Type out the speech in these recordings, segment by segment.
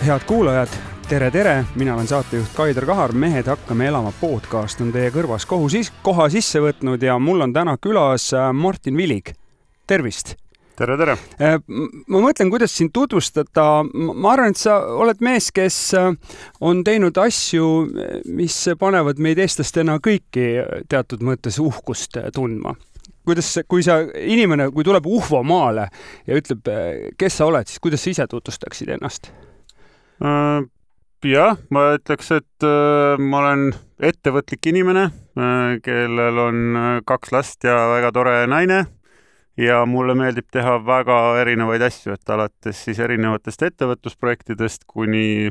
Head kuulajad, tere! Mina olen saatejuht Kaider Kahar. Mehed hakkame elama podcast on teie kõrvas koha sisse võtnud ja mul on täna külas Martin Vilig. Tervist! Tere! Ma mõtlen, kuidas sind tutvustada. Ma arvan, et sa oled mees, kes on teinud asju, mis panevad meid eestlastena kõiki teatud mõttes uhkust tundma. Kui tuleb Uhvo maale ja ütleb, kes sa oled, siis kuidas sa ise tutvustaksid ennast? Jah, ma ütleks, et ma olen ettevõtlik inimene, kellel on 2 last ja väga tore naine ja mulle meeldib teha väga erinevaid asju, et alates siis erinevatest ettevõtlusprojektidest kuni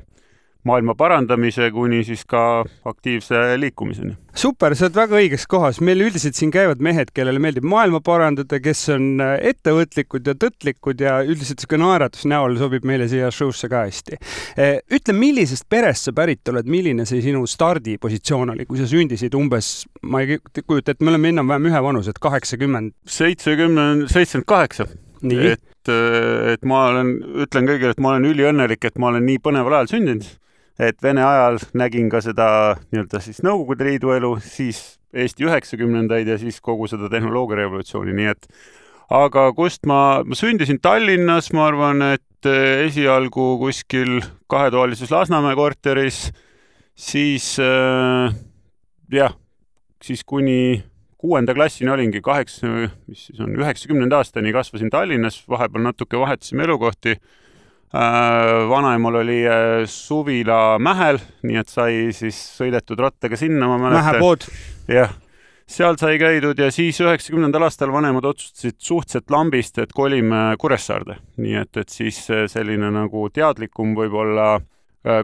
maailma parandamise, kuni siis ka aktiivse liikumiseni. Super, sa oled väga õiges kohas. Meil üldiselt siin käivad mehed, kellele meeldib maailma parandada, kes on ettevõtlikud ja tõtlikud ja üldiselt see naeratus näol sobib meile siia show'sse ka hästi. Ütle, millisest perest sa pärit oled, milline see sinu stardipositsioon oli, kui sa sündisid umbes, ma ei kujuta, et me oleme enam-vähem ühe vanus, et 80. 78. Nii. Et ma ütlen kõigile, et ma olen üliõnnelik, et ma olen nii põneval ajal sündinud. Et Vene ajal nägin ka seda nii-öelda siis Nõukogude Liidu elu, siis Eesti 90-ndaid ja siis kogu seda tehnoloogiarevolutsiooni. Nii et, aga kust ma sündisin Tallinnas, ma arvan, et esialgu kuskil 2-toalises Lasnamäe korteris, siis kuni 6. klassini olingi 90 aastani kasvasin Tallinnas, vahepeal natuke vahetasime elukohti. Vanaemal oli suvila Mähel, nii et sai siis sõidetud rattaga sinna, ma mäletan. Mähepood. Jah, seal sai käidud ja siis 90. aastal vanemad otsustasid suhteliselt lambist, et kolime Kuressaarde. Nii et siis selline nagu teadlikum võib-olla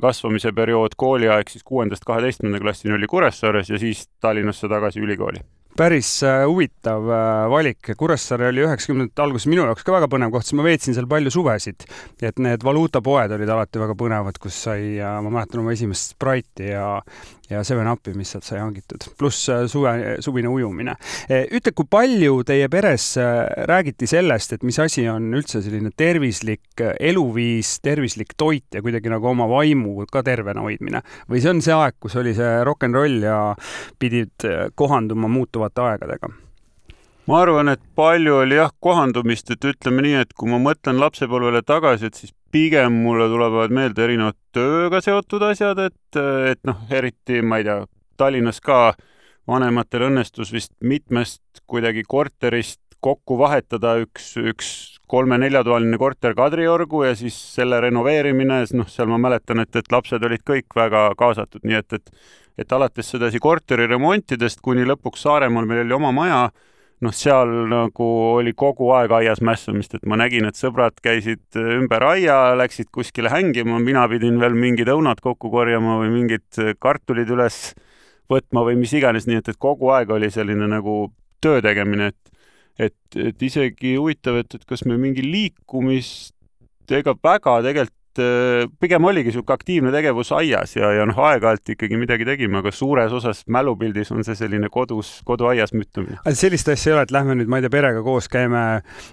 kasvamise periood kooliaeg siis 6.–12. klassini oli Kuressaares ja siis Tallinnasse tagasi ülikooli. Päris huvitav valik. Kuressaare oli 90. alguses minu jaoks ka väga põnev koht, sest ma veetsin seal palju suvesid. Et need valuutapoed olid alati väga põnevad, kus sai, ma mäletan oma esimest Sprite'i ja 7-Upi, mis sealt sai hangitud. Pluss suvine ujumine. Ütle, kui palju teie peres räägiti sellest, et mis asi on üldse selline tervislik eluviis, tervislik toit ja kuidagi nagu oma vaimu ka tervena hoidmine? Või see on see aeg, kus oli see rock'n'roll ja pidid kohanduma muutuvate aegadega? Ma arvan, et palju oli kohandumist, et ütleme nii, et kui ma mõtlen lapsepõlvele tagasi, et siis pigem mulle tulevad meelde erinevad tööga seotud asjad, et eriti, ma ei tea, Tallinnas ka vanematel õnnestus vist mitmest kuidagi korterist kokku vahetada üks 3-4-toaline korter Kadriorgu ja siis selle renoveerimine, seal ma mäletan, et lapsed olid kõik väga kaasatud, nii et alates sedasi korteri remontidest kuni lõpuks Saaremaal meil oli oma maja, seal nagu oli kogu aeg aias mässamist, et ma nägin, et sõbrad käisid ümber aia, läksid kuskile hängima, mina pidin veel mingid õunad kokku korjama või mingid kartulid üles võtma või mis iganes, nii et kogu aeg oli selline nagu töö tegemine, et isegi huvitav, et kas me mingi liikumist ega väga tegelikult pigem oligi siuke aktiivne tegevus aias ja aeg-ajalt ikkagi midagi tegime, aga suures osas mälupildis on see selline koduaias müttumine. Sellist asja ei ole, et lähme nüüd, ma ei tea, perega koos käime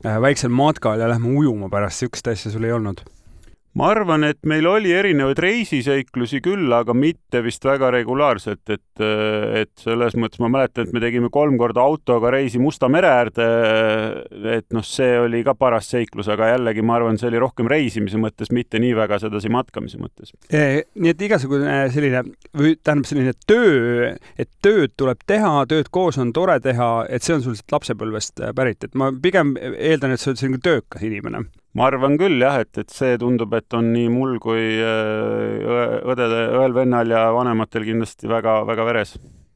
väiksel matkal ja lähme ujuma pärast, siukest asja sul ei olnud? Ma arvan, et meil oli erinevaid reisiseiklusi küll, aga mitte vist väga regulaarselt, et selles mõttes ma mäletan, et me tegime 3 korda autoga reisi Musta mere äärde, et see oli ka paras seiklus, aga jällegi ma arvan, see oli rohkem reisimise mõttes, mitte nii väga sedasi matkamise mõttes. Nii et igasugune selline töö, et tööd tuleb teha, tööd koos on tore teha, et see on sul lapsepõlvest pärit, et ma pigem eeldan, et sa oled selline töökas inimene. Ma arvan küll jah, et see tundub, et on nii mul kui õel vennal ja vanematel kindlasti väga, väga veres.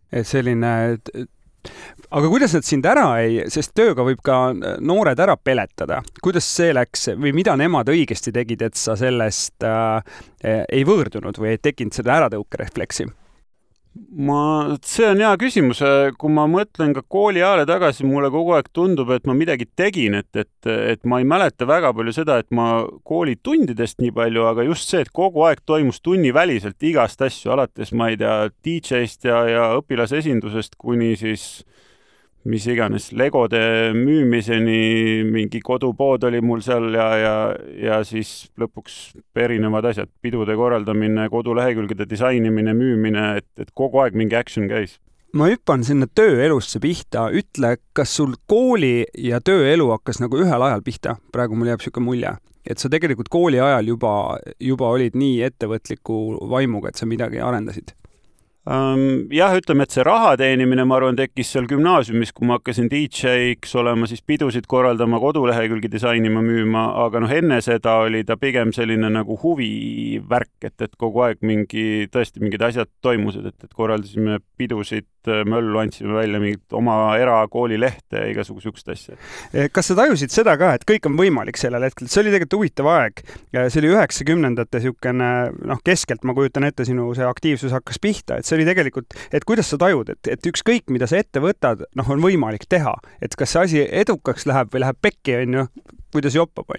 Et selline, aga kuidas nad sind ära sest tööga võib ka noored ära peletada. Kuidas see läks või mida nemad õigesti tegid, et sa sellest ei võõrdunud või ei tekkinud seda äratõukerefleksi? See on hea küsimus. Kui ma mõtlen ka kooli ajale tagasi, mulle kogu aeg tundub, et ma midagi tegin, et ma ei mäleta väga palju seda, et ma koolitundidest nii palju, aga just see, et kogu aeg toimus tunniväliselt igast asju, alates, ma ei tea, DJ-st ja õpilasesindusest kuni siis mis iganes Legode müümiseni, mingi kodupood oli mul seal ja siis lõpuks erinevad asjad, pidude korraldamine, kodulehekülgede disainimine, müümine, et kogu aeg mingi action käis. Ma hüppan sinna tööelusse pihta. Ütle, kas sul kooli ja tööelu hakkas nagu ühel ajal pihta? Praegu mul jääb siuke mulje, et sa tegelikult kooli ajal juba olid nii ettevõtliku vaimuga, et sa midagi arendasid. Jah, ütleme, et see raha teenimine, ma arvan, tekkis seal gümnaasiumis, kui ma hakkasin DJ-ks olema, siis pidusid korraldama, kodulehekülgi disainima, müüma, aga enne seda oli ta pigem selline nagu huvivärk, et kogu aeg tõesti mingid asjad toimusid, et korraldasime pidusid, möllu andsime välja mingit oma erakoolilehte ja igasuguse sihukest asja. Kas sa tajusid seda ka, et kõik on võimalik sellel hetkel? See oli tegelikult huvitav aeg. See oli 90-ndate sihukene, keskelt ma kujutan ette, sinu see aktiivsus hakkas pihta, et see oli tegelikult, et kuidas sa tajud, et ükskõik, mida sa ette võtad, on võimalik teha. Et kas see asi edukaks läheb või läheb pekki, kuidas joppab,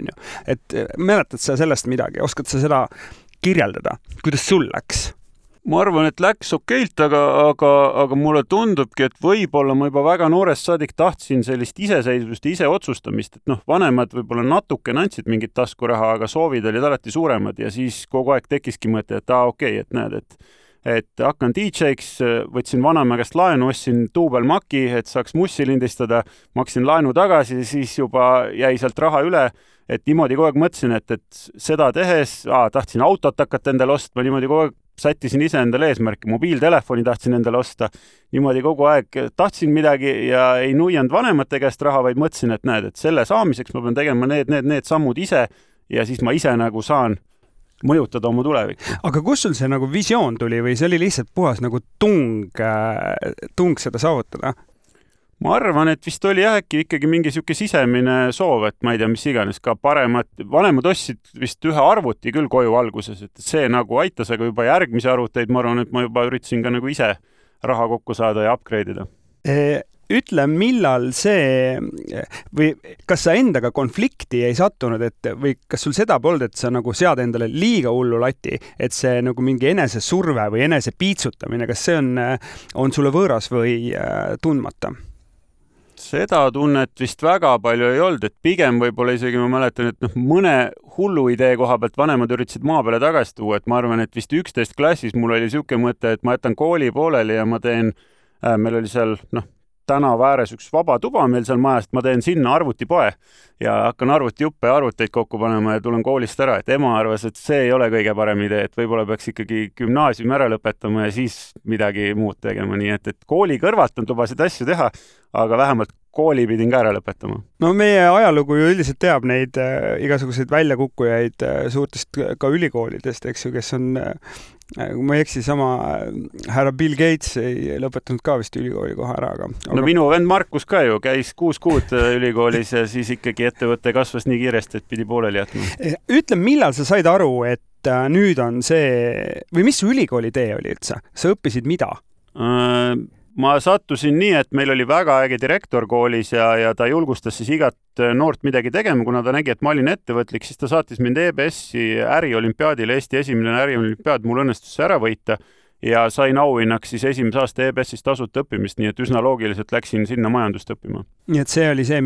Et mäletad sa sellest midagi? Oskad sa seda kirjeldada? Kuidas sul läks? Ma arvan, et läks okeilt, aga mulle tundubki, et võib-olla ma juba väga noorest saadik tahtsin sellist iseseisvust ja ise otsustamist, et vanemad võib-olla natuke andsid mingit taskuraha, aga soovid olid alati suuremad ja siis kogu aeg tekkiski mõte, et okei, et näed, et hakkan DJ-ks, võtsin vanaema käest laenu, ostsin duubelmaki, et saaks mussi lindistada, maksin laenu tagasi, siis juba jäi sealt raha üle, et niimoodi kogu aeg mõtlesin, et seda tehes, tahtsin autot hakata endale ostma, niimoodi kogu aeg sättisin ise endale eesmärki, mobiiltelefoni tahtsin endale osta, niimoodi kogu aeg tahtsin midagi ja ei nuianud vanemate käest raha, vaid mõtlesin, et näed, et selle saamiseks ma pean tegema need sammud ise ja siis ma ise nagu saan mõjutada oma tulevikku. Aga kus sul see nagu visioon tuli või see oli lihtsalt puhas nagu tung seda saavutada? Ma arvan, et vist oli äkki ikkagi mingi siuke sisemine soov, et ma ei tea, mis iganes, ka vanemad ostsid vist ühe arvuti küll koju alguses, et see nagu aitas, aga juba järgmise arvuteid, ma arvan, et ma juba üritasin ka nagu ise raha kokku saada ja upgrade'ida. Ütle, millal see või kas sa endaga konflikti ei sattunud, või kas sul seda polnud, et sa nagu sead endale liiga hullu lati, et see nagu mingi enese surve või enese piitsutamine, kas see on sulle võõras või tundmata? Seda tunnet vist väga palju ei olnud, et pigem võib-olla isegi ma mäletan, et mõne hullu idee koha pealt vanemad üritasid maa peale tagasi tuua, et ma arvan, et vist 11 klassis mul oli siuke mõte, et ma jätan kooli pooleli ja ma teen, meil oli seal tänava ääres üks vaba tuba meil seal majast, ma teen sinna arvutipoe ja hakkan arvutijuppe ja arvuteid kokku panema ja tulen koolist ära, et ema arvas, et see ei ole kõige parem idee, et võib-olla peaks ikkagi gümnaasiumi ära lõpetama ja siis midagi muud tegema, nii et kooli kõrvalt on lubasid asju teha, aga vähemalt kooli pidin ka ära lõpetama. No meie ajalugu ju üldiselt teab neid igasuguseid väljakukkujaid suurtest ka ülikoolidest, eks ju, kes on, kui ma ei eksi, sama härra Bill Gates ei lõpetanud ka vist ülikooli kohe ära, aga... No minu vend Markus ka ju käis 6 kuud ülikoolis ja siis ikkagi ettevõte kasvas nii kiiresti, et pidi pooleli jätma. Ütle, millal sa said aru, et nüüd on see, või mis su ülikooli tee oli üldse? Sa õppisid mida? Ma sattusin nii, et meil oli väga äge direktor koolis ja ta julgustas siis igat noort midagi tegema, kuna ta nägi, et ma olin ettevõtlik, siis ta saatis mind EBS-i äriolümpiaadile, Eesti esimene äriolümpiaad, mul õnnestus ära võita ja sain auhinnaks siis esimese aasta EBS-is tasuta õppimist, nii et üsna loogiliselt läksin sinna majandust õppima. Nii et see oli see,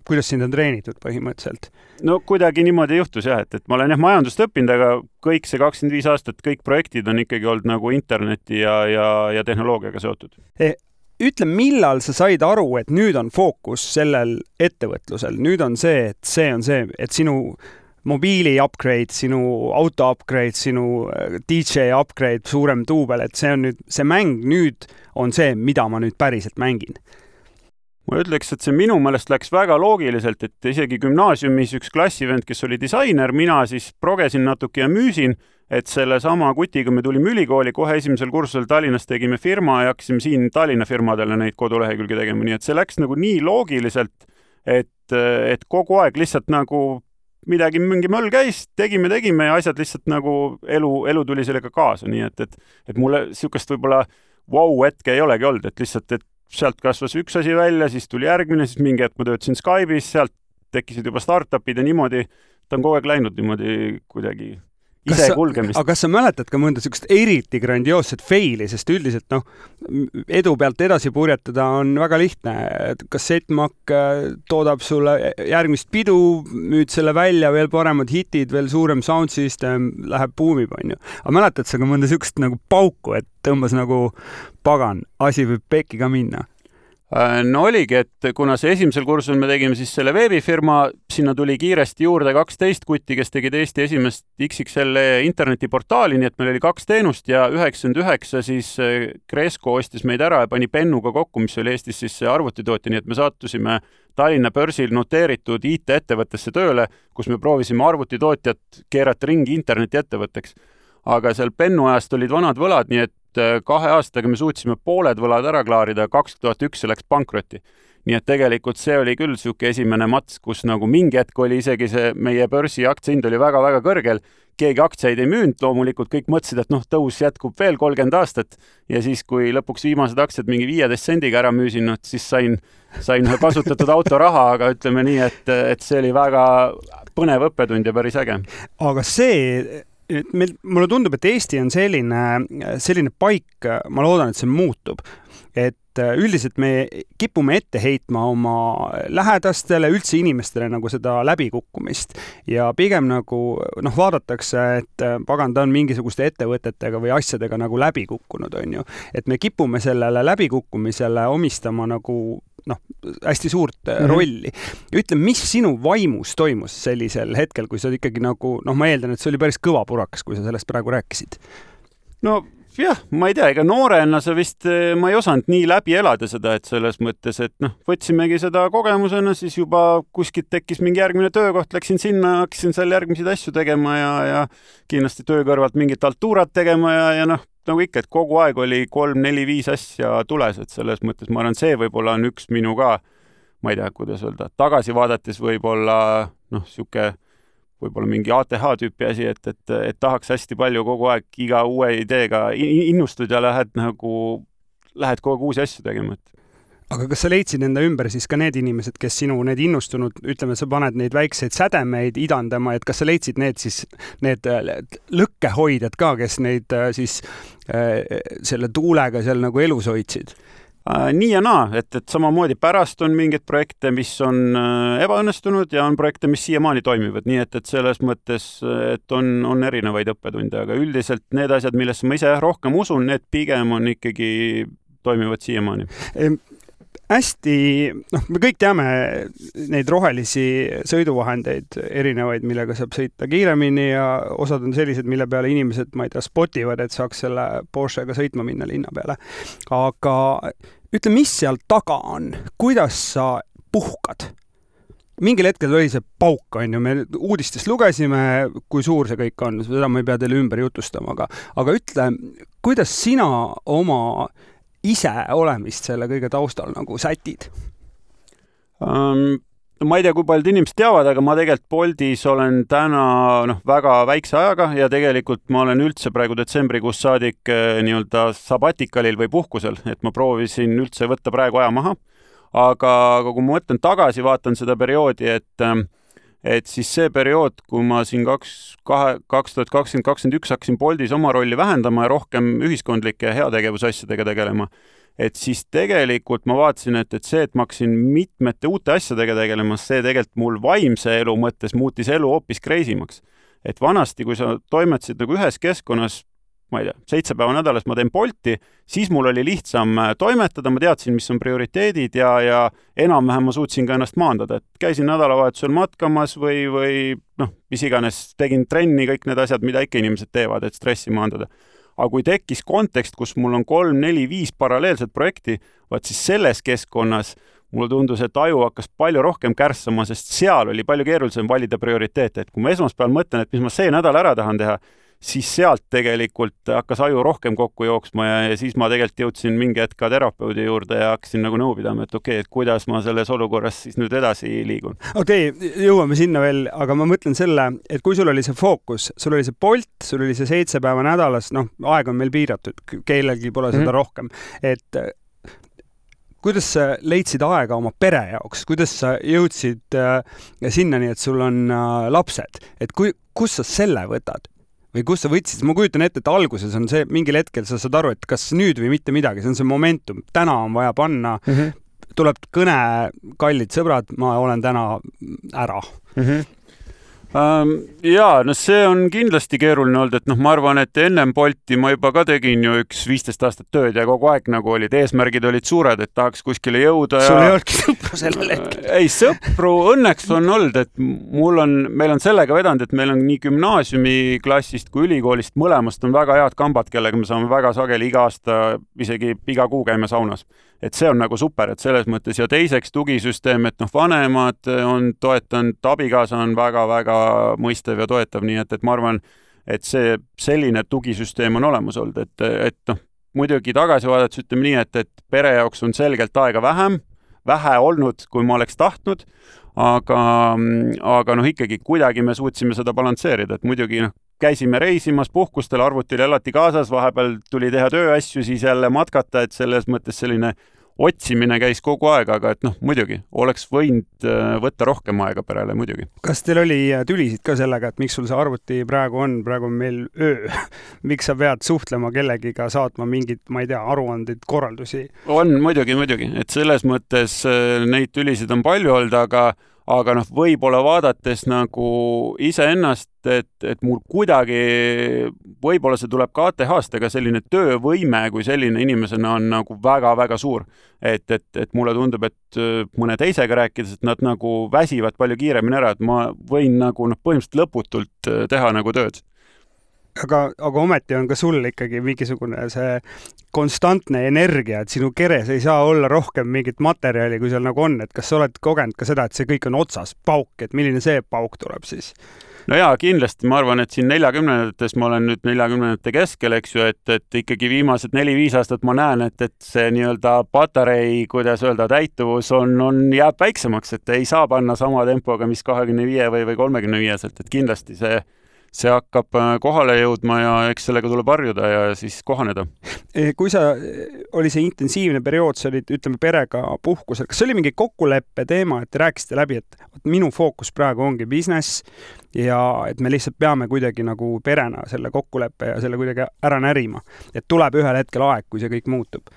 kuidas sind on treenitud põhimõtteliselt? No kuidagi niimoodi juhtus jah, et ma olen majandust õppinud, aga kõik see 25 aastat, kõik projektid on ikkagi olnud nagu interneti ja tehnoloogiaga seotud. Ütle, millal sa said aru, et nüüd on fookus sellel ettevõtlusel, nüüd on see, et sinu mobiili upgrade, sinu auto upgrade, sinu DJ upgrade, suurem duubel, et see mäng nüüd on see, mida ma nüüd päriselt mängin. Ma ütleks, et see minu meelest läks väga loogiliselt, et isegi gümnaasiumis üks klassivend, kes oli disainer, mina siis progesin natuke ja müüsin, et selle sama kutiga me tulime ülikooli, kohe esimesel kursusel Tallinnas tegime firma ja hakkasime siin Tallinna firmadele neid kodulehekülge tegema, nii et see läks nagu nii loogiliselt, et kogu aeg lihtsalt nagu mingi möll käis, tegime ja asjad lihtsalt nagu elu tuli sellega kaasa, nii et mulle sihukest võib-olla hetke ei olegi olnud, et lihtsalt, et sealt kasvas üks asi välja, siis tuli järgmine, siis mingi hetk ma töötasin Skype'is, sealt tekkisid juba startupid ja niimoodi, ta on kogu aeg läinud niimoodi kuidagi ise kulgemist. Aga kas sa mäletad ka mõnda sellist eriti grandioosset faili, sest üldiselt edu pealt edasi purjetada on väga lihtne. Kassettmakk toodab sulle järgmist pidu, müüd selle välja, veel paremad hitid, veel suurem sound system, läheb buumib, on ju. Aga mäletad sa ka mõnda sellist nagu pauku, et tõmbas nagu pagan, asi võib pekki ka minna? No oligi, et kuna see esimesel kursul me tegime siis selle veebifirma, sinna tuli kiiresti juurde 12 kutti, kes tegid Eesti esimest XXL internetiportaali, nii et meil oli 2 teenust ja 99 siis Cresco ostis meid ära ja pani Pennuga kokku, mis oli Eestis siis arvutitootja, nii et me sattusime Tallinna börsil noteeritud IT-ettevõttesse tööle, kus me proovisime arvutitootjat keerata ringi internetiettevõtteks. Aga seal Pennu ajast olid vanad võlad, nii et 2 aastaga me suutsime pooled võlad ära klaarida, 2001 läks pankrotti. Nii et tegelikult see oli küll siuke esimene mats, kus nagu mingi hetk oli isegi see meie börsi aktsiahind oli väga-väga kõrgel. Keegi aktsiaid ei müünud, loomulikult kõik mõtlesid, et tõus jätkub veel 30 aastat ja siis, kui lõpuks viimased aktsiad mingi 15 sendiga ära müüsin, siis sain ühe kasutatud auto raha, aga ütleme nii, et see oli väga põnev õppetund ja päris äge. Aga see mulle tundub, et Eesti on selline paik, ma loodan, et see muutub, et üldiselt me kipume ette heitma oma lähedastele, üldse inimestele nagu seda läbikukkumist ja pigem nagu vaadatakse, et pagan, ta on mingisuguste ettevõtetega või asjadega nagu läbikukkunud, on ju. Et me kipume sellele läbikukkumisele omistama nagu hästi suurt rolli. Ütle, mis sinu vaimus toimus sellisel hetkel, kui sa ikkagi nagu, ma eeldan, et see oli päris kõva purakas, kui sa sellest praegu rääkisid? No jah, ma ei tea, ega noorena ma ei osanud nii läbi elada seda, et selles mõttes, et võtsimegi seda kogemusena, siis juba kuskilt tekkis mingi järgmine töökoht, läksin sinna, hakkasin seal järgmiseid asju tegema ja kindlasti töö kõrvalt mingit altuurat tegema ja nagu ikka, et kogu aeg oli 3, 4, 5 asja tules, et selles mõttes ma arvan, see võib-olla on üks minu ka, ma ei tea, kuidas öelda, tagasi vaadates võib-olla siuke võib-olla mingi ATH tüüpi asi, et tahaks hästi palju kogu aeg iga uue ideega innustud ja lähed kogu aeg uusi asju tegema. Aga kas sa leidsid enda ümber siis ka need inimesed, kes sinu need innustunud, ütleme, sa paned neid väikseid sädemeid idandama, et kas sa leidsid need lõkkehoidjad ka, kes neid siis selle tuulega seal nagu elus hoidsid? Nii ja naa, et samamoodi pärast on mingeid projekte, mis on ebaõnnestunud ja on projekte, mis siiamaani toimivad, nii et selles mõttes, et on erinevaid õppetunde, aga üldiselt need asjad, millesse ma ise rohkem usun, need pigem on ikkagi toimivad siiamaani. Hästi, me kõik teame neid rohelisi sõiduvahendeid erinevaid, millega saab sõita kiiremini ja osad on sellised, mille peale inimesed, ma ei tea, spotivad, et saaks selle Porschega sõitma minna linna peale. Aga ütle, mis seal taga on? Kuidas sa puhkad? Mingil hetkel oli see pauk, on ju, me uudistest lugesime, kui suur see kõik on, seda ma ei pea teile ümber jutustama, aga ütle, kuidas sina oma ise olemist selle kõige taustal nagu sätid? Ma ei tea, kui paljud inimesed teavad, aga ma tegelikult Boltis olen täna väga väikse ajaga ja tegelikult ma olen üldse praegu detsembrikuus saadik nii-öelda sabatikalil või puhkusel, et ma proovisin üldse võtta praegu aja maha. Aga kui ma mõtlen tagasi, vaatan seda perioodi, et siis see periood, kui ma siin 2020-2021 hakkasin Boltis oma rolli vähendama ja rohkem ühiskondlike ja heategevusasjadega tegelema, et siis tegelikult ma vaatasin, et see, et ma hakkasin mitmete uute asjadega tegelema, see tegelikult mul vaimse elu mõttes muutis elu hoopis kreisimaks. Et vanasti, kui sa toimetasid nagu ühes keskkonnas, ma ei tea, 7 päeva nädalas ma teen Bolti, siis mul oli lihtsam toimetada, ma teadsin, mis on prioriteedid ja enam-vähem ma suutsin ka ennast maandada, et käisin nädalavahetusel matkamas või mis iganes, tegin trenni, kõik need asjad, mida ikka inimesed teevad, et stressi maandada. Aga kui tekkis kontekst, kus mul on 3, 4, 5 paralleelset projekti, vaat siis selles keskkonnas mulle tundus, et aju hakkas palju rohkem kärssama, sest seal oli palju keerulisem valida prioriteete, et kui ma esmaspäeval mõtlen, et mis ma see nädal ära tahan teha, siis sealt tegelikult hakkas aju rohkem kokku jooksma ja siis ma tegelikult jõudsin mingi hetk ka terapeudi juurde ja hakkasin nagu nõu pidama, et okei, et kuidas ma selles olukorras siis nüüd edasi liigun. Okei, jõuame sinna veel, aga ma mõtlen selle, et kui sul oli see fookus, sul oli see Bolt, sul oli see 7 päeva nädalas, aeg on meil piiratud, kellelgi pole seda rohkem, et kuidas sa leidsid aega oma pere jaoks, kuidas sa jõudsid sinnani, et sul on lapsed, et kus sa selle võtad? või kust sa võtsid, ma kujutan ette, et alguses on see, mingil hetkel sa saad aru, et kas nüüd või mitte midagi, see on see momentum, täna on vaja panna, tuleb kõne, kallid sõbrad, ma olen täna ära. Jaa, no see on kindlasti keeruline olnud, et ma arvan, et ennem Bolti ma juba ka tegin ju 15 aastat tööd ja kogu aeg nagu olid, eesmärgid olid suured, et tahaks kuskile jõuda. Sul ei olnudki sõpru sellel hetkel? Ei, sõpru õnneks on olnud, et meil on sellega vedanud, et meil on nii gümnaasiumiklassist kui ülikoolist mõlemast on väga head kambad, kellega me saame väga sageli iga aasta, isegi iga kuu käime saunas. Et see on nagu super, et selles mõttes ja teiseks tugisüsteem, et vanemad on toetanud, abikaasa on väga-väga mõistev ja toetav, nii et ma arvan, et see selline tugisüsteem on olemas olnud, et muidugi tagasi vaadates ütleme nii, et pere jaoks on selgelt aega vähe olnud, kui ma oleks tahtnud, aga ikkagi kuidagi me suutsime seda balansseerida, et muidugi käisime reisimas, puhkustel, arvutil elati kaasas, vahepeal tuli teha tööasju, siis jälle matkata, et selles mõttes selline otsimine käis kogu aeg, aga et muidugi oleks võinud võtta rohkem aega perele, muidugi. Kas teil oli tülisid ka sellega, et miks sul see arvuti praegu on meil öö? Miks sa pead suhtlema kellegiga, saatma mingid, ma ei tea, aruandeid, korraldusi? On muidugi, et selles mõttes neid tülisid on palju olnud, aga võib-olla vaadates nagu iseennast, et mul kuidagi, võib-olla see tuleb ka ATH-st, aga selline töövõime kui selline inimesena on nagu väga-väga suur. Et mulle tundub, et mõne teisega rääkides, et nad nagu väsivad palju kiiremini ära, et ma võin nagu põhimõtteliselt lõputult teha nagu tööd. Aga ometi on ka sul ikkagi mingisugune see konstantne energia, et sinu keres ei saa olla rohkem mingit materjali, kui seal nagu on, et kas sa oled kogenud ka seda, et see kõik on otsas pauk, et milline see pauk tuleb siis? No jaa, kindlasti ma arvan, et siin 40-ndates ma olen nüüd 40-ndate keskel, eks ju, et ikkagi viimased 4-5 aastat ma näen, et see nii-öelda patarei, kuidas öelda, täituvus jääb väiksemaks, et ei saa panna sama tempoga, mis 25 või 35-selt, et kindlasti see hakkab kohale jõudma ja eks sellega tuleb harjuda ja siis kohaneda. Kui oli see intensiivne periood, sa olid, ütleme, perega puhkusel, kas oli mingi kokkuleppe teema, et rääkisite läbi, et minu fookus praegu ongi business ja et me lihtsalt peame kuidagi nagu perena selle kokkuleppe ja selle kuidagi ära närima, et tuleb ühel hetkel aeg, kui see kõik muutub?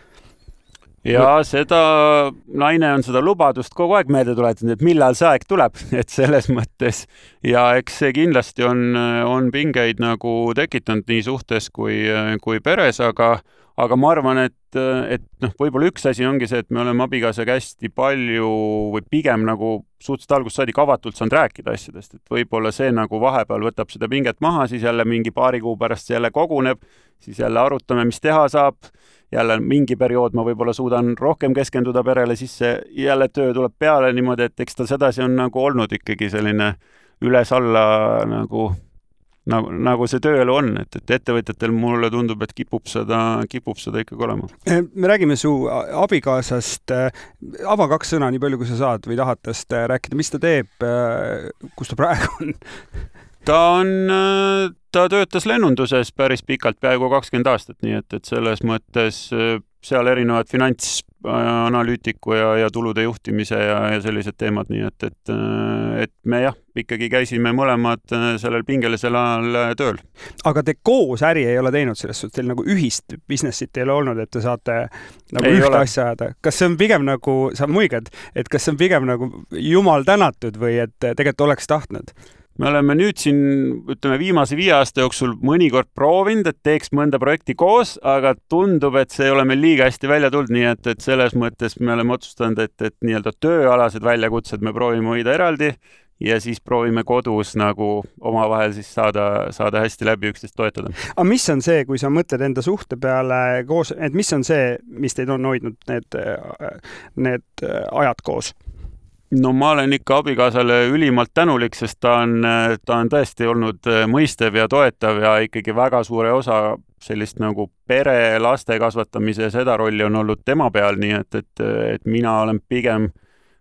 Ja seda naine on seda lubadust kogu aeg meelde tuletanud, et millal see aeg tuleb, et selles mõttes ja eks see kindlasti on pingeid nagu tekitanud nii suhtes kui peres, aga ma arvan, et võib-olla üks asi ongi see, et me oleme abikaasaga hästi palju või pigem nagu suhteliselt algusest saadik avatult saanud rääkida asjadest, et võib-olla see nagu vahepeal võtab seda pinget maha, siis jälle mingi paari kuu pärast jälle koguneb, siis jälle arutame, mis teha saab, jälle mingi periood ma võib-olla suudan rohkem keskenduda perele, siis jälle töö tuleb peale niimoodi, et eks ta sedasi on nagu olnud ikkagi selline üles-alla nagu see tööelu on, et ettevõtjatel mulle tundub, et kipub seda ikkagi olema. Me räägime su abikaasast, ava 2 sõna nii palju, kui sa saad või tahad tast rääkida, mis ta teeb, kus ta praegu on? Ta töötas lennunduses päris pikalt, peaaegu 20 aastat, nii et selles mõttes seal erinevad finantsanalüütiku ja tulude juhtimise ja sellised teemad, nii et me ikkagi käisime mõlemad sellel pingelisel ajal tööl. Aga te koos äri ei ole teinud selles suhtes, teil nagu ühist businessit ei ole olnud, et te saate nagu ei ühte ole. asja ajada. Kas see on pigem nagu, sa muigad, et kas see on pigem nagu jumal tänatud või et tegelikult oleks tahtnud? Me oleme nüüd siin, ütleme, viimase 5 aasta jooksul mõnikord proovinud, et teeks mõnda projekti koos, aga tundub, et see ei ole meil liiga hästi välja tulnud, nii et selles mõttes me oleme otsustanud, et nii-öelda tööalased väljakutsed me proovime hoida eraldi ja siis proovime kodus nagu omavahel siis saada hästi läbi üksteist toetada. Aga mis on see, kui sa mõtled enda suhte peale koos, et mis on see, mis teid on hoidnud need ajad koos? No ma olen ikka abikaasale ülimalt tänulik, sest ta on tõesti olnud mõistev ja toetav ja ikkagi väga suure osa sellist nagu pere, laste kasvatamise ja seda rolli on olnud tema peal, nii et mina olen pigem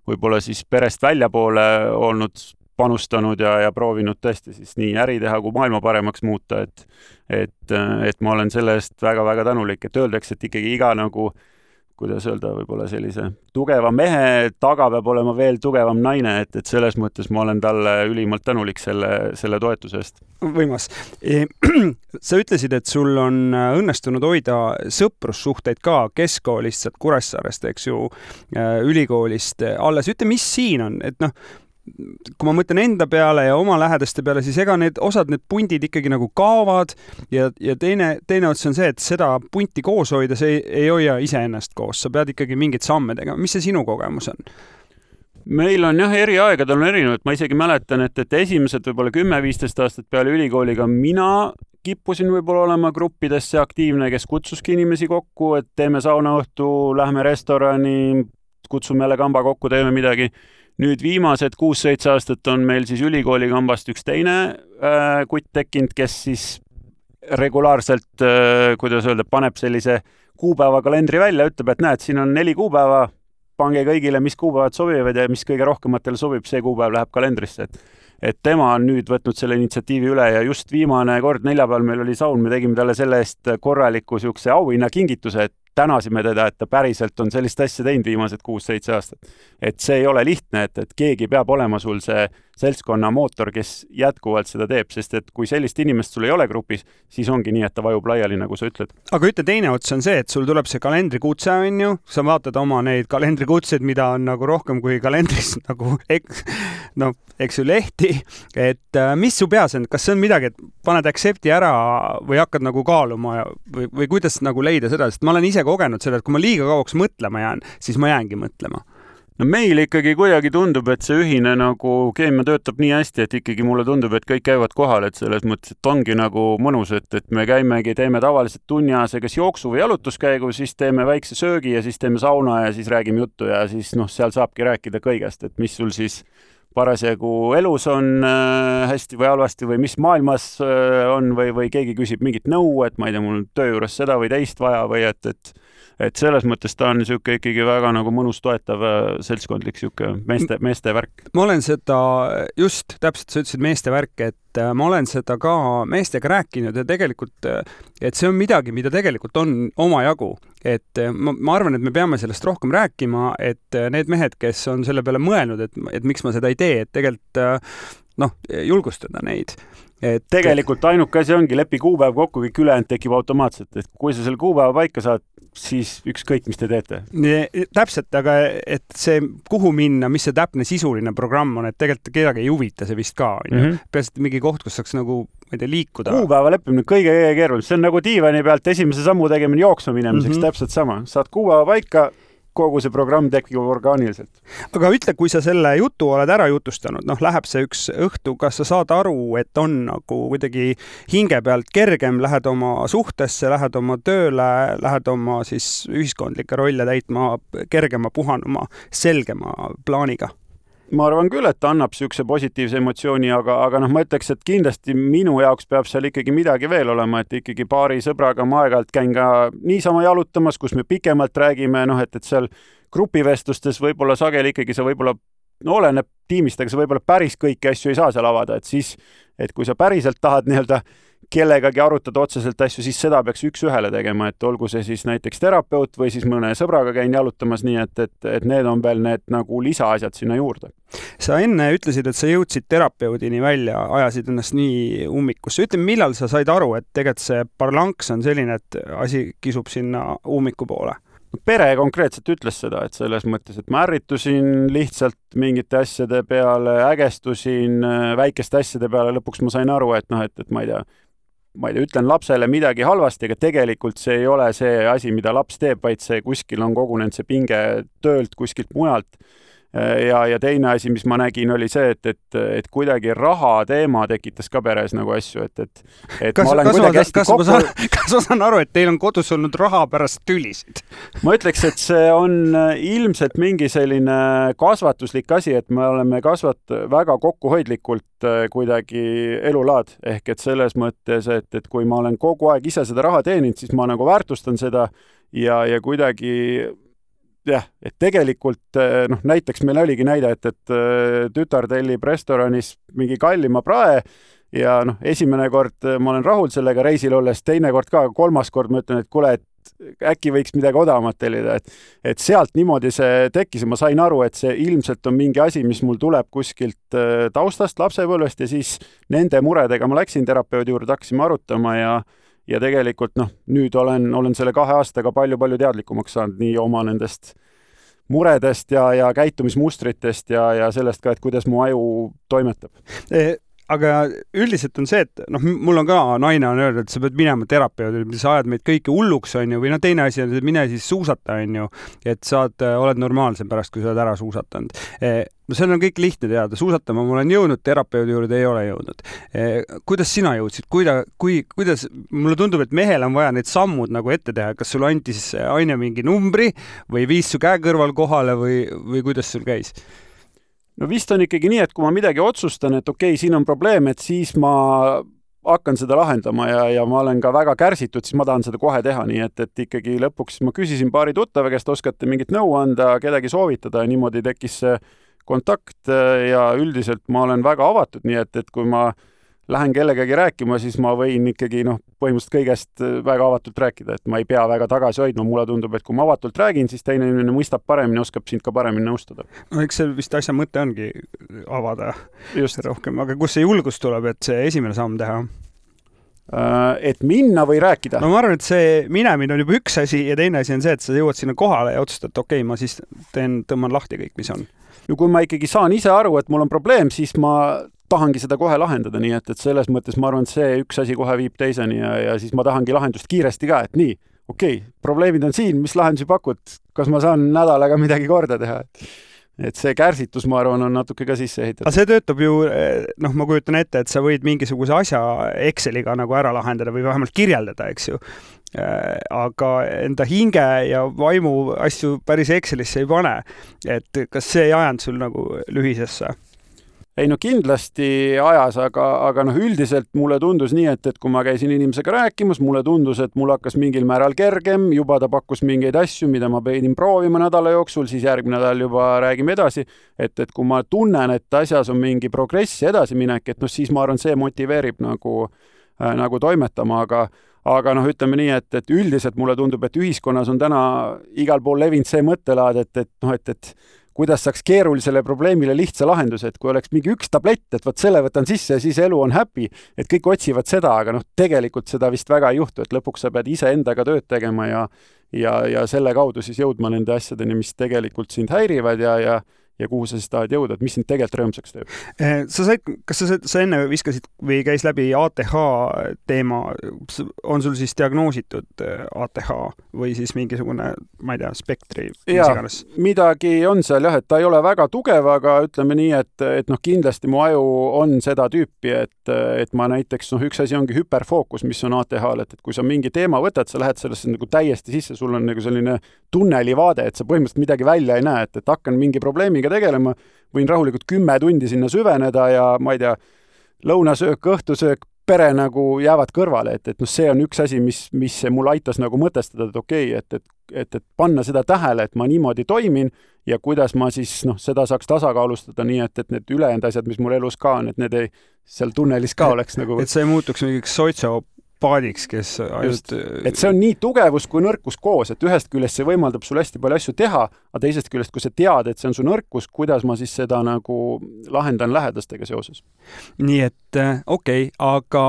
võib-olla siis perest väljapoole olnud panustanud ja proovinud tõesti siis nii äri teha kui maailma paremaks muuta, et ma olen selle eest väga-väga tänulik, et öeldakse, et ikkagi iga nagu kuidas öelda, võib-olla sellise tugeva mehe taga peab olema veel tugevam naine, et selles mõttes ma olen talle ülimalt tänulik selle toetuse eest. Võimas. Sa ütlesid, et sul on õnnestunud hoida sõprussuhteid ka keskkoolist, sealt Kuressaarest, eks ju, ülikoolist alles. Ütle, mis siin on? Et kui ma mõtlen enda peale ja oma lähedaste peale, siis ega need pundid ikkagi nagu kaovad ja teine ots on see, et seda punti koos hoida, see ei hoia iseennast koos. Sa pead ikkagi mingeid samme tegema. Mis see sinu kogemus on? Meil on eri aegadel on erinevad. Ma isegi mäletan, et esimesed võib-olla 10-15 aastat peale ülikooliga mina kippusin võib-olla olema gruppidesse aktiivne, kes kutsuski inimesi kokku, et teeme saunaõhtu, lähme restorani, kutsume jälle kamba kokku, teeme midagi. Nüüd viimased 6-7 aastat on meil siis ülikooli kambast üks teine kutt tekkinud, kes siis regulaarselt, kuidas öelda, paneb sellise kuupäeva kalendri välja, ütleb, et näed, siin on 4 kuupäeva, pange kõigile, mis kuupäevad sobivad ja mis kõige rohkematele sobib, see kuupäev läheb kalendrisse. Et tema on nüüd võtnud selle initsiatiivi üle ja just viimane kord neljapäeval meil oli saun, me tegime talle selle eest korraliku siukse auhinna kingituse, et tänasime teda, et ta päriselt on sellist asja teinud viimased 6-7 aastat. Et see ei ole lihtne, et keegi peab olema sul see seltskonna mootor, kes jätkuvalt seda teeb, sest et kui sellist inimest sul ei ole grupis, siis ongi nii, et ta vajub laiali, nagu sa ütled. Aga ütle, teine ots on see, et sul tuleb see kalendrikutse, on ju, sa vaatad oma neid kalendrikutseid, mida on nagu rohkem kui kalendris, nagu eks ju lehti, et mis su peas on, kas see on midagi, et paned accepti ära või hakkad nagu kaaluma või kuidas nagu leida seda, sest ma olen ise kogenud seda, et kui ma liiga kauaks mõtlema jään, siis ma jäängi mõtlema. No meil ikkagi kuidagi tundub, et see ühine nagu keemia töötab nii hästi, et ikkagi mulle tundub, et kõik käivad kohal, et selles mõttes, et ongi nagu mõnus, et me käimegi, teeme tavaliselt tunniajase kas jooksu või jalutuskäigu, siis teeme väikse söögi ja siis teeme sauna ja siis räägime juttu ja siis seal saabki rääkida kõigest, et mis sul siis parasjagu elus on hästi või halvasti või mis maailmas on või keegi küsib mingit nõu, et ma ei tea, mul töö juures seda või teist vaja või et selles mõttes ta on niisugune ikkagi väga nagu mõnus toetav seltskondlik niisugune meeste värk. Ma olen seda just, täpselt sa ütlesid meeste värk, et ma olen seda ka meestega rääkinud ja tegelikult, et see on midagi, mida tegelikult on omajagu. Et ma arvan, et me peame sellest rohkem rääkima, et need mehed, kes on selle peale mõelnud, et miks ma seda ei tee, et tegelikult julgustada neid. Tegelikult ainuke asi ongi lepi kuupäev kokku, kõik ülejäänud tekib automaatselt, et kui sa selle kuupäeva paika saad, siis ükskõik, mis te teete. Täpselt, aga et see, kuhu minna, mis see täpne sisuline programm on, et tegelikult kedagi ei huvita see vist ka. Peaselt mingi koht, kus saaks nagu, ma ei tea, liikuda. Kuupäeva leppimine kõige keerulisem. See on nagu diivani pealt esimese sammu tegemine jooksma minemiseks, täpselt sama. Saad kuupäeva paika, kogu see programm tekib orgaaniliselt. Aga ütle, kui sa selle jutu oled ära jutustanud, läheb see üks õhtu, kas sa saad aru, et on nagu kuidagi hinge pealt kergem, lähed oma suhtesse, lähed oma tööle, lähed oma siis ühiskondlike rolle täitma kergema, puhanuma, selgema plaaniga? Ma arvan küll, et ta annab siukse positiivse emotsiooni, aga ma ütleks, et kindlasti minu jaoks peab seal ikkagi midagi veel olema, et ikkagi paari sõbraga ma aeg-ajalt käin ka niisama jalutamas, kus me pikemalt räägime, et seal grupivestlustes võib-olla sageli ikkagi sa võib-olla oleneb tiimist, aga sa võib-olla päris kõiki asju ei saa seal avada, et siis, et kui sa päriselt tahad nii-öelda kellegagi arutada otseselt asju, siis seda peaks üks-ühele tegema, et olgu see siis näiteks terapeut või siis mõne sõbraga käin jalutamas, nii et need on veel need nagu lisaasjad sinna juurde. Sa enne ütlesid, et sa jõudsid terapeudini välja, ajasid ennast nii ummikusse. Ütle, millal sa said aru, et tegelikult see parlanks on selline, et asi kisub sinna ummiku poole? Pere konkreetselt ütles seda, et selles mõttes, et ma ärritusin lihtsalt mingite asjade peale, ägestusin väikeste asjade peale, lõpuks ma sain aru, et ma ei tea, ütlen lapsele midagi halvasti, aga tegelikult see ei ole see asi, mida laps teeb, vaid see kuskil on kogunenud see pinge töölt kuskilt mujalt. Ja teine asi, mis ma nägin, oli see, et kuidagi raha teema tekitas ka peres nagu asju, et ma olen kuidagi hästi kokku... Kas ma saan aru, et teil on kodus olnud raha pärast tülisid? Ma ütleks, et see on ilmselt mingi selline kasvatuslik asi, et me oleme väga kokkuhoidlikult kuidagi elulaad, ehk et selles mõttes, et kui ma olen kogu aeg ise seda raha teeninud, siis ma nagu väärtustan seda ja kuidagi jah, et tegelikult näiteks meil oligi näide, et tütar tellib restoranis mingi kallima prae ja esimene kord ma olen rahul sellega reisil olles, teine kord ka, kolmas kord ma ütlen, et kuule, et äkki võiks midagi odavamat tellida, et sealt niimoodi see tekkis ja ma sain aru, et see ilmselt on mingi asi, mis mul tuleb kuskilt taustast, lapsepõlvest ja siis nende muredega ma läksin terapeudi juurde, hakkasime arutama ja tegelikult nüüd olen selle 2 aastaga palju teadlikumaks saanud nii oma nendest muredest ja käitumismustritest ja sellest ka, et kuidas mu aju toimetab. Aga üldiselt on see, et mul on ka naine on öeldud, et sa pead minema terapeudile, sa ajad meid kõiki hulluks, on ju, või teine asi on, et mine siis suusata, on ju, et oled normaalsem pärast, kui sa oled ära suusatanud. See on kõik lihtne teada, suusatama ma olen jõudnud, terapeudi juurde ei ole jõudnud. Kuidas sina jõudsid? Kuidas, mulle tundub, et mehel on vaja need sammud nagu ette teha, kas sul andis aine mingi numbri või viis su käe kõrval kohale või kuidas sul käis? No vist on ikkagi nii, et kui ma midagi otsustan, et okei, siin on probleem, et siis ma hakkan seda lahendama ja ma olen ka väga kärsitud, siis ma tahan seda kohe teha, nii et ikkagi lõpuks ma küsisin paari tuttava käest, oskate mingit nõu anda, kedagi soovitada ja niimoodi tekkis see kontakt ja üldiselt ma olen väga avatud, nii et kui ma lähen kellegagi rääkima, siis ma võin ikkagi põhimõtteliselt kõigest väga avatult rääkida, et ma ei pea väga tagasi hoidma. Mulle tundub, et kui ma avatult räägin, siis teine inimene mõistab paremini, oskab sind ka paremini nõustada. Eks see vist asja mõte ongi avada just rohkem, aga kus see julgus tuleb, et see esimene samm teha? Et minna või rääkida? No ma arvan, et see minemine on juba üks asi ja teine asi on see, et sa jõuad sinna kohale ja otsustad, et okei, ma siis tõmban lahti kõik, mis on. No kui ma ikkagi saan ise aru, et mul on probleem, siis ma tahangi seda kohe lahendada, nii et selles mõttes ma arvan, et see üks asi kohe viib teiseni ja siis ma tahangi lahendust kiiresti ka, et nii, okei, probleemid on siin, mis lahendusi pakud, kas ma saan nädalaga midagi korda teha? Et see kärsitus, ma arvan, on natuke ka sisse ehitatud. Aga see töötab ju, ma kujutan ette, et sa võid mingisuguse asja Exceliga nagu ära lahendada või vähemalt kirjeldada, eks ju. Aga enda hinge ja vaimu asju päris Excelisse ei pane. Et kas see ei ajanud sul nagu lühisesse? Ei kindlasti ajas, aga üldiselt mulle tundus nii, et kui ma käisin inimesega rääkimas, mulle tundus, et mul hakkas mingil määral kergem, juba ta pakkus mingeid asju, mida ma pidin proovima nädala jooksul, siis järgmine nädal juba räägime edasi, et kui ma tunnen, et asjas on mingi progress edasi minek, et siis ma arvan, see motiveerib nagu toimetama, aga ütleme nii, et üldiselt mulle tundub, et ühiskonnas on täna igal pool levinud see mõttelaad, et kuidas saaks keerulisele probleemile lihtsa lahenduse, et kui oleks mingi üks tablett, et võt selle võtan sisse ja siis elu on happy, et kõik otsivad seda, aga tegelikult seda vist väga ei juhtu, et lõpuks sa pead ise endaga tööd tegema ja selle kaudu siis jõudma nende asjadeni, mis tegelikult sind häirivad ja kuhu sa siis tahad jõuda, et mis sind tegelikult rõõmsaks teeb. Kas sa enne viskasid või käis läbi ATH teema, on sul siis diagnoositud ATH või siis mingisugune, ma ei tea, spektri? Midagi on seal jah, et ta ei ole väga tugev, aga ütleme nii, et kindlasti mu aju on seda tüüpi, et ma näiteks, üks asi ongi hüperfookus, mis on ATH-l, et kui sa mingi teema võtad, sa lähed sellesse nagu täiesti sisse, sul on nagu selline tunnelivaade, et sa põhimõtteliselt midagi välja ei näe, et hakkan mingi probleemiga tegelema, võin rahulikult 10 tundi sinna süveneda ja ma ei tea, lõunasöök, õhtusöök, pere nagu jäävad kõrvale, et see on üks asi, mis mul aitas nagu mõtestada, et okei, et panna seda tähele, et ma niimoodi toimin ja kuidas ma siis seda saaks tasakaalustada nii, et need ülejäänud asjad, mis mul elus ka on, et need ei seal tunnelis ka oleks nagu... Et see ei muutuks mingiks soitsopaadiks, kes ainult... Et see on nii tugevus kui nõrkus koos, et ühest küljest see võimaldab sul hästi palju asju teha, aga teisest küljest, kui sa tead, et see on su nõrkus, kuidas ma siis seda nagu lahendan lähedastega seoses. Nii et okei, aga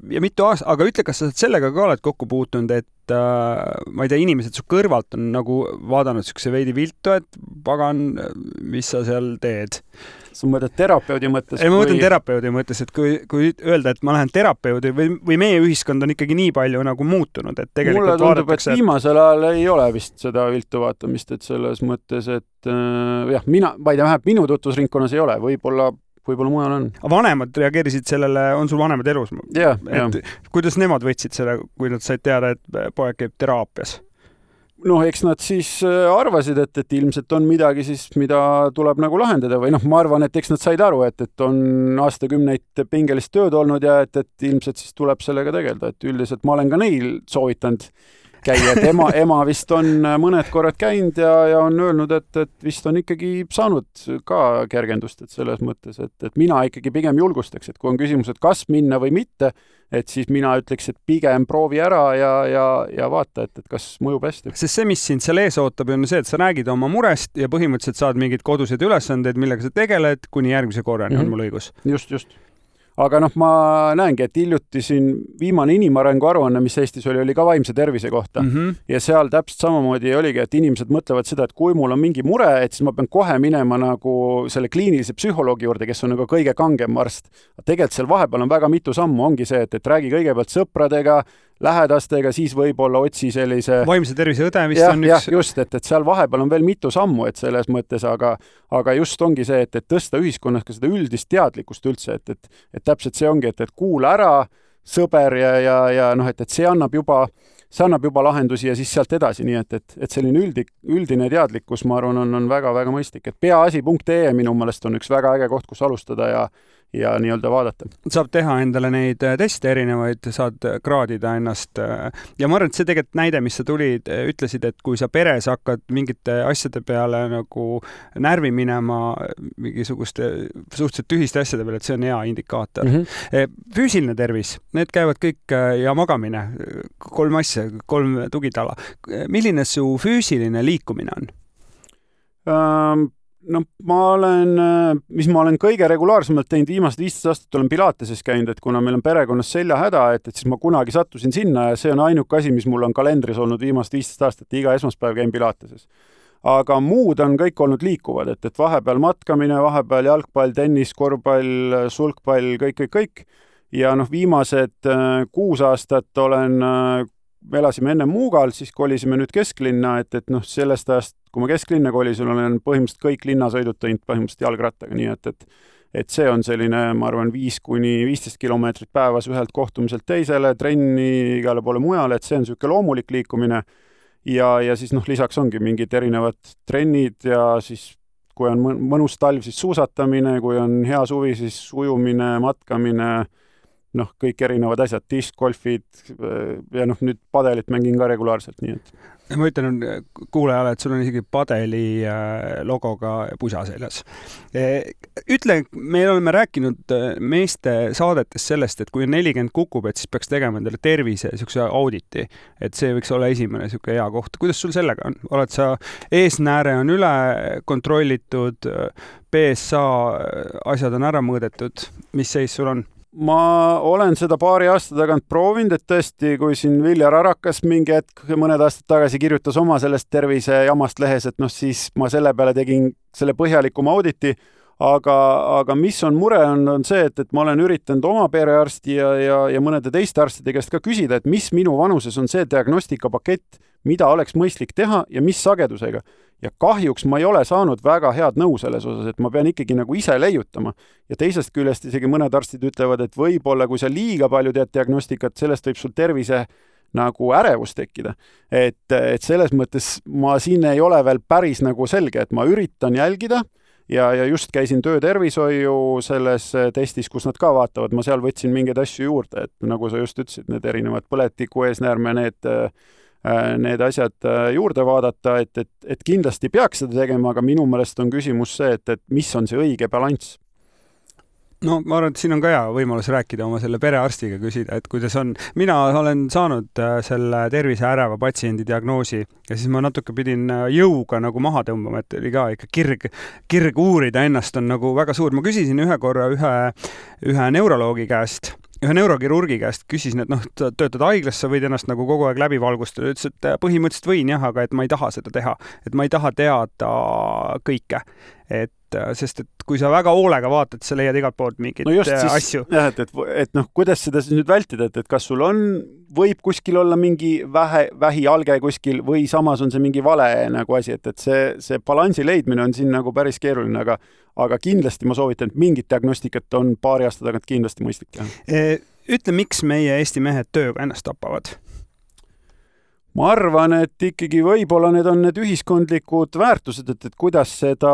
mitu aasta, aga ütle, kas sa sellega ka oled kokku puutunud, et ma ei tea, inimesed su kõrvalt on nagu vaadanud sükse veidi viltu, et pagan, mis sa seal teed? Sa mõtled terapeudi mõttes? Ei, ma mõtlen terapeudi mõttes, et kui öelda, et ma lähen terapeudi või meie ühiskond on ikkagi nii palju nagu muutunud, et tegelikult mulle tundub, et viimasel ajal ei ole vist seda viltu vaatamist, et selles mõttes, et jah, ma ei tea, vähemalt minu tutvusringkonnas ei ole, võib-olla mujal on. Vanemad reageerisid sellele, on sul vanemad elus? Ja. Kuidas nemad võtsid selle, kui nad said teada, et poeg käib teraapias? Eks nad siis arvasid, et ilmselt on midagi siis, mida tuleb nagu lahendada või ma arvan, et eks nad said aru, et on aastakümneid pingelist tööd olnud ja et ilmselt siis tuleb sellega tegelda, et üldiselt ma olen ka neil soovitanud käia, et ema vist on mõned korrad käinud ja on öelnud, et vist on ikkagi saanud ka kergendust, et selles mõttes, et mina ikkagi pigem julgustaks, et kui on küsimus, et kas minna või mitte, et siis mina ütleks, et pigem proovi ära ja vaata, et kas mõjub hästi. Sest see, mis sind seal ees ootab, on see, et sa räägid oma murest ja põhimõtteliselt saad mingeid koduseid ülesandeid, millega sa tegeled, kuni järgmise korrani on mul õigus. Just. Aga ma näengi, et hiljuti siin viimane inimarengu aruanne, mis Eestis oli ka vaimse tervise kohta. Ja seal täpselt samamoodi oligi, et inimesed mõtlevad seda, et kui mul on mingi mure, et siis ma pean kohe minema nagu selle kliinilise psühholoogi juurde, kes on nagu kõige kangem arst. Tegelikult seal vahepeal on väga mitu sammu, ongi see, et räägi kõigepealt sõpradega, lähedastega, siis võib-olla otsi sellise... Vaimse tervise õde vist on üks... just, et seal vahepeal on veel mitu sammu, et selles mõttes, aga just ongi see, et tõsta ühiskonnas ka seda üldist teadlikkust üldse, et täpselt see ongi, et kuula ära sõber ja et see annab juba lahendusi ja siis sealt edasi, nii et selline üldine teadlikkus, ma arvan, on väga-väga mõistlik, et peaasi.ee minu meelest on üks väga äge koht, kus alustada ja nii-öelda vaadata. Saab teha endale neid teste erinevaid, saad kraadida ennast ja ma arvan, et see tegelikult näide, mis sa tulid, ütlesid, et kui sa peres hakkad mingite asjade peale nagu närvi minema, mingisuguste suhteliselt tühiste asjade peale, et see on hea indikaator. Füüsiline tervis, need käivad kõik ja magamine, 3 asja, 3 tugitala. Milline su füüsiline liikumine on? Mis ma olen kõige regulaarsemalt teinud viimased 15 aastat, olen Pilateses käinud, et kuna meil on perekonnas seljahäda, et siis ma kunagi sattusin sinna ja see on ainuke asi, mis mul on kalendris olnud viimased 15 aastat, iga esmaspäev käin Pilateses. Aga muud on kõik olnud liikuvad, et vahepeal matkamine, vahepeal jalgpall, tennis, korvpall, sulgpall, kõik. Ja viimased 6 aastat me elasime enne Muugal, siis kolisime nüüd kesklinna, et sellest ajast, kui ma kesklinna kolisin, olen põhimõtteliselt kõik linnasõidud teinud põhimõtteliselt jalgrattaga, nii et see on selline, ma arvan, 5-15 kilomeetrit päevas ühelt kohtumiselt teisele, trenni igale poole mujale, et see on selline loomulik liikumine ja siis lisaks ongi mingid erinevad trennid ja siis kui on mõnus talv, siis suusatamine, kui on hea suvi, siis ujumine, matkamine, kõik erinevad asjad, diskgolfid ja nüüd padelit mängin ka regulaarselt, nii et. Ma ütlen kuulajale, et sul on isegi padeli logoga pusa seljas. Ütle, me oleme rääkinud meeste saadetes sellest, et kui on 40 kukub, et siis peaks tegema endale tervise sükse auditi, et see võiks olla esimene süke hea koht. Kuidas sul sellega on? Oled sa eesnääre on üle kontrollitud, PSA asjad on ära mõõdetud, mis seis sul on? Ma olen seda paari aasta tagant proovinud, et tõesti, kui siin Viljar Arakas mingi hetk mõned aastad tagasi kirjutas oma sellest tervise jamast lehes, et siis ma selle peale tegin selle põhjalikuma auditi, aga mis on mure, on see, et ma olen üritanud oma perearsti ja mõnede teiste arstide käest ka küsida, et mis minu vanuses on see diagnostikapakett, mida oleks mõistlik teha ja mis sagedusega. Ja kahjuks ma ei ole saanud väga head nõu selles osas, et ma pean ikkagi nagu ise leiutama. Ja teisest küljest isegi mõned arstid ütlevad, et võib-olla kui sa liiga palju teed diagnostikat, sellest võib sul tervise nagu ärevus tekkida. Et selles mõttes ma siin ei ole veel päris nagu selge, et ma üritan jälgida ja just käisin töötervishoiu selles testis, kus nad ka vaatavad. Ma seal võtsin mingeid asju juurde, et nagu sa just ütlesid, need erinevad põletiku eesnäärme, need asjad juurde vaadata, et kindlasti peaks seda tegema, aga minu meelest on küsimus see, et mis on see õige balanss. No ma arvan, et siin on ka hea võimalus rääkida oma selle perearstiga, küsida, et kuidas on. Mina olen saanud selle tervise äreva patsiendi diagnoosi ja siis ma natuke pidin jõuga nagu maha tõmbama, et oli ka ikka kirg uurida ennast on nagu väga suur. Ma küsisin ühe korra ühe neuroloogi käest, ühe neurokirurgi käest küsisin, et töötad haiglas, sa võid ennast nagu kogu aeg läbi valgustada. Ütles, et põhimõtteliselt võin jah, aga et ma ei taha seda teha. Et ma ei taha teada kõike. Sest et kui sa väga hoolega vaatad, sa leiad igalt poolt mingeid asju. Jah, et kuidas seda siis nüüd vältida, et kas sul võib kuskil olla mingi vähialge kuskil või samas on see mingi vale nagu asi, et see balansi leidmine on siin nagu päris keeruline, aga kindlasti ma soovitan, et mingit diagnostikat on paari aasta tagant kindlasti mõistlik teha. Ütle, miks meie Eesti mehed tööga ennast tapavad? Ma arvan, et ikkagi võib-olla need on need ühiskondlikud väärtused, et kuidas seda,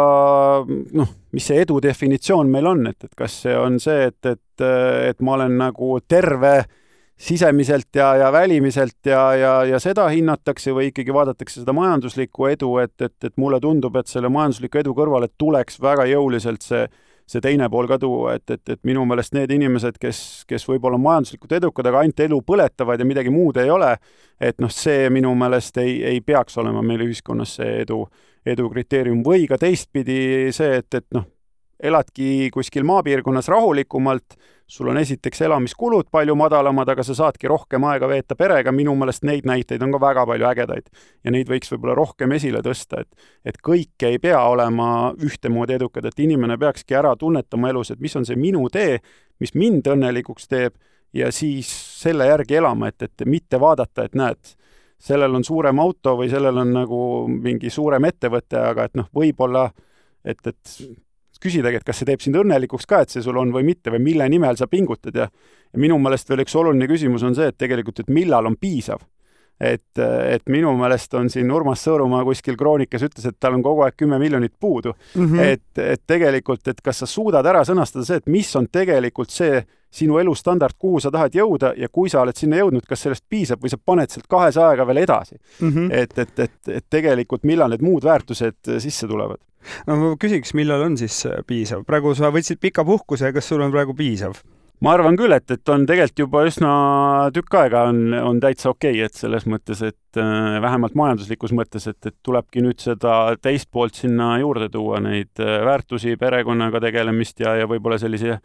mis see edu definitsioon meil on, et kas see on see, et ma olen nagu terve sisemiselt ja välimiselt ja seda hinnatakse või ikkagi vaadatakse seda majanduslikku edu, et mulle tundub, et selle majandusliku edu kõrvale tuleks väga jõuliselt see teine pool ka tuua, et minu meelest need inimesed, kes võib-olla majanduslikult edukad, aga ainult elu põletavad ja midagi muud ei ole, et see minu meelest ei peaks olema meil ühiskonnas see edu kriteerium või ka teistpidi see, et eladki kuskil maapiirkonnas rahulikumalt, sul on esiteks elamiskulud palju madalamad, aga sa saadki rohkem aega veeta perega, minu meelest neid näiteid on ka väga palju ägedaid ja neid võiks võib-olla rohkem esile tõsta, et kõik ei pea olema ühtemoodi edukad, et inimene peakski ära tunnetama elus, et mis on see minu tee, mis mind õnnelikuks teeb ja siis selle järgi elama, et mitte vaadata, et näed, sellel on suurem auto või sellel on nagu mingi suurem ettevõte, aga et võib-olla, et küsidagi, et kas see teeb sind õnnelikuks ka, et see sul on või mitte või mille nimel sa pingutad ja minu meelest veel üks oluline küsimus on see, et tegelikult, et millal on piisav. Et minu meelest on siin Urmas Sõõrumaa kuskil kroonikas ütles, et tal on kogu aeg 10 miljonit puudu. Et tegelikult, et kas sa suudad ära sõnastada see, et mis on tegelikult see sinu elustandard, kuhu sa tahad jõuda ja kui sa oled sinna jõudnud, kas sellest piisab või sa paned sealt 200 veel edasi. Et tegelikult millal need muud väärtused sisse tulevad? No ma küsiks, millal on siis piisav? Praegu sa võtsid pika puhkuse, kas sul on praegu piisav? Ma arvan küll, et on tegelikult juba üsna tükk aega on täitsa okei, et selles mõttes, et vähemalt majanduslikus mõttes, et tulebki nüüd seda teist poolt sinna juurde tuua, neid väärtusi, perekonnaga tegelemist ja võib-olla sellise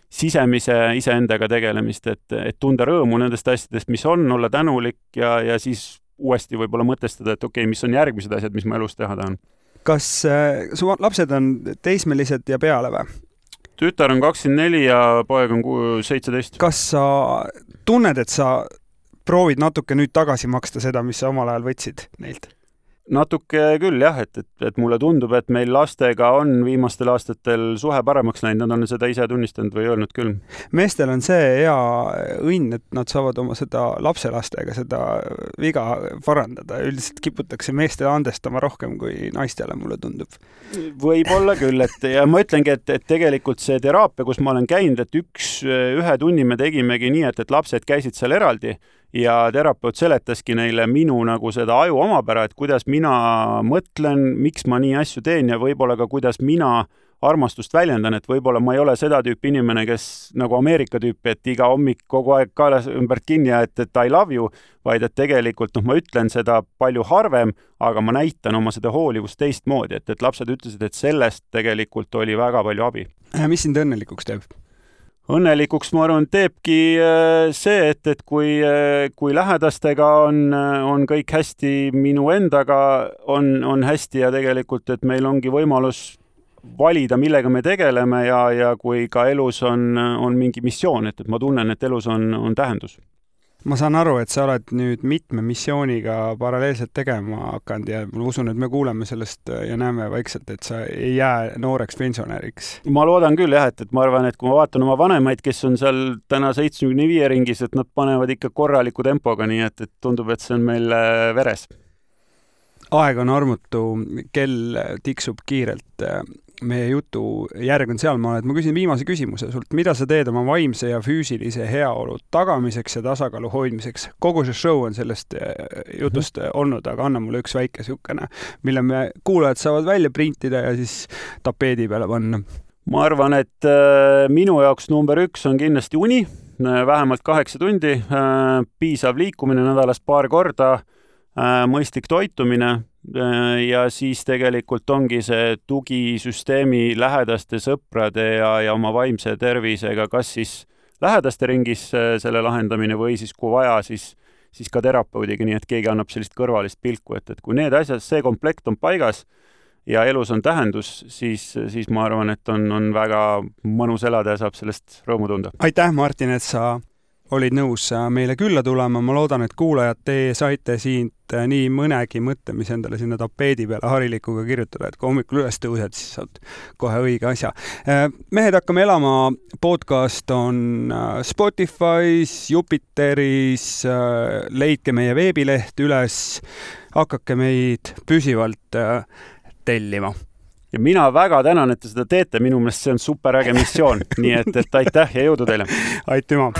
sisemise iseendaga tegelemist, et tunda rõõmu nendest asjadest, mis on, olla tänulik ja siis uuesti võib-olla mõtestada, et okei, mis on järgmised asjad, mis ma elus teha tahan. Kas su lapsed on teismelised ja peale või? Tütar on 24 ja poeg on 17. Kas sa tunned, et sa proovid natuke nüüd tagasi maksta seda, mis sa omal ajal võtsid neilt? Natuke küll jah, et mulle tundub, et meil lastega on viimastel aastatel suhe paremaks läinud, nad on seda ise tunnistanud või öelnud küll. Meestel on see hea õnn, et nad saavad oma seda lapselastega seda viga parandada. Üldiselt kiputakse meestele andestama rohkem kui naistele, mulle tundub. Võib-olla küll, ja ma ütlengi, et tegelikult see teraapia, kus ma olen käinud, et ühe tunni me tegimegi nii, et lapsed käisid seal eraldi ja terapeut seletaski neile minu nagu seda aju omapära, et kuidas mina mõtlen, miks ma nii asju teen ja võib-olla ka kuidas mina armastust väljendan, et võib-olla ma ei ole seda tüüpi inimene, kes nagu Ameerika tüüpi, et iga hommik kogu aeg kaelas ümbert kinni, et I love you, vaid et tegelikult ma ütlen seda palju harvem, aga ma näitan oma seda hoolivust teistmoodi, et lapsed ütlesid, et sellest tegelikult oli väga palju abi. Mis sind õnnelikuks teeb? Õnnelikuks, ma arvan, teebki see, et kui lähedastega on kõik hästi, minu endaga on hästi ja tegelikult, et meil ongi võimalus valida, millega me tegeleme ja kui ka elus on mingi missioon, et ma tunnen, et elus on tähendus. Ma saan aru, et sa oled nüüd mitme missiooniga paralleelselt tegema hakanud ja ma usun, et me kuuleme sellest ja näeme vaikselt, et sa ei jää nooreks pensionäriks. Ma loodan küll jah, et ma arvan, et kui ma vaatan oma vanemaid, kes on seal täna 75 ringis, et nad panevad ikka korraliku tempoga, nii et tundub, et see on meil veres. Aeg on armutu, kell tiksub kiirelt. Meie jutu järg on sealmaal, et ma küsin viimase küsimuse sult, mida sa teed oma vaimse ja füüsilise heaolu tagamiseks ja tasakaalu hoidmiseks? Kogu see show on sellest jutust olnud, aga anna mulle üks väike sihukene, mille me kuulajad saavad välja printida ja siis tapeedi peale panna. Ma arvan, et minu jaoks number 1 on kindlasti uni, vähemalt 8 tundi, piisav liikumine nädalas paar korda, mõistlik toitumine ja siis tegelikult ongi see tugisüsteemi lähedaste sõprade ja oma vaimse tervisega, kas siis lähedaste ringis selle lahendamine või siis kui vaja, siis ka terapeudiga, nii et keegi annab sellist kõrvalist pilku, et kui need asjad, see komplekt on paigas ja elus on tähendus, siis ma arvan, et on väga mõnus elada ja saab sellest rõõmu tunda. Aitäh, Martin, et sa olid nõus meile külla tulema. Ma loodan, et kuulajad te saite siit nii mõnegi mõtte, mis endale sinna tapeedi peale harilikuga kirjutada, et kui hommikul üles tõused, siis saad kohe õige asja. Mehed hakkame elama podcast on Spotify's, Jupiteris, leidke meie veebileht üles, hakake meid püsivalt tellima. Ja mina väga tänan, et te seda teete, minu meelest see on super äge missioon, nii et aitäh ja jõudu teile! Aitüma!